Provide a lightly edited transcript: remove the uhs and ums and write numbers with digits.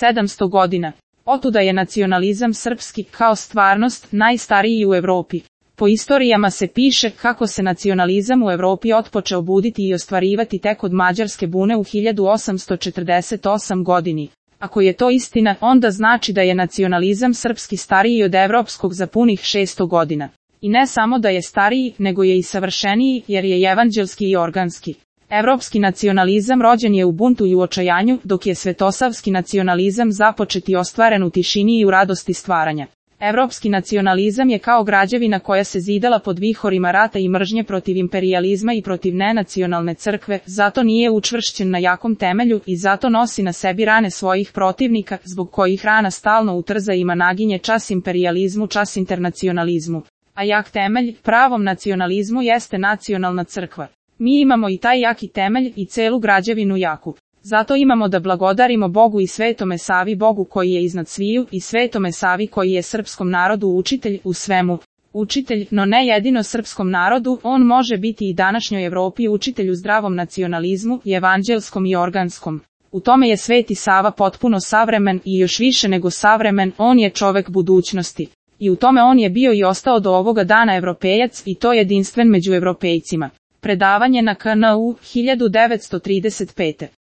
700 godina. Otuda je nacionalizam srpski, kao stvarnost, najstariji u Evropi. Po istorijama se piše kako se nacionalizam u Evropi otpočeo buditi i ostvarivati tek od Mađarske bune u 1848 godini. Ako je to istina, onda znači da je nacionalizam srpski stariji od evropskog za punih 600 godina. I ne samo da je stariji, nego je i savršeniji, jer je evanđelski i organski. Evropski nacionalizam rođen je u buntu i u očajanju, dok je svetosavski nacionalizam započet i ostvaren u tišini i u radosti stvaranja. Evropski nacionalizam je kao građevina koja se zidala pod vihorima rata i mržnje protiv imperijalizma i protiv nenacionalne crkve, zato nije učvršćen na jakom temelju i zato nosi na sebi rane svojih protivnika, zbog kojih rana stalno utrza ima naginje čas imperijalizmu, čas internacionalizmu. A jak temelj, pravom nacionalizmu jeste nacionalna crkva. Mi imamo i taj jaki temelj i celu građevinu jaku. Zato imamo da blagodarimo Bogu i Svetome Savi, Bogu koji je iznad sviju, i Svetome Savi koji je srpskom narodu učitelj u svemu. Učitelj, no ne jedino srpskom narodu, on može biti i današnjoj Evropi učitelj u zdravom nacionalizmu, i evanđelskom i organskom. U tome je Sveti Sava potpuno savremen i još više nego savremen, on je čovek budućnosti. I u tome on je bio i ostao do ovoga dana evropejac i to jedinstven među evropejcima. Predavanje na KNU 1935.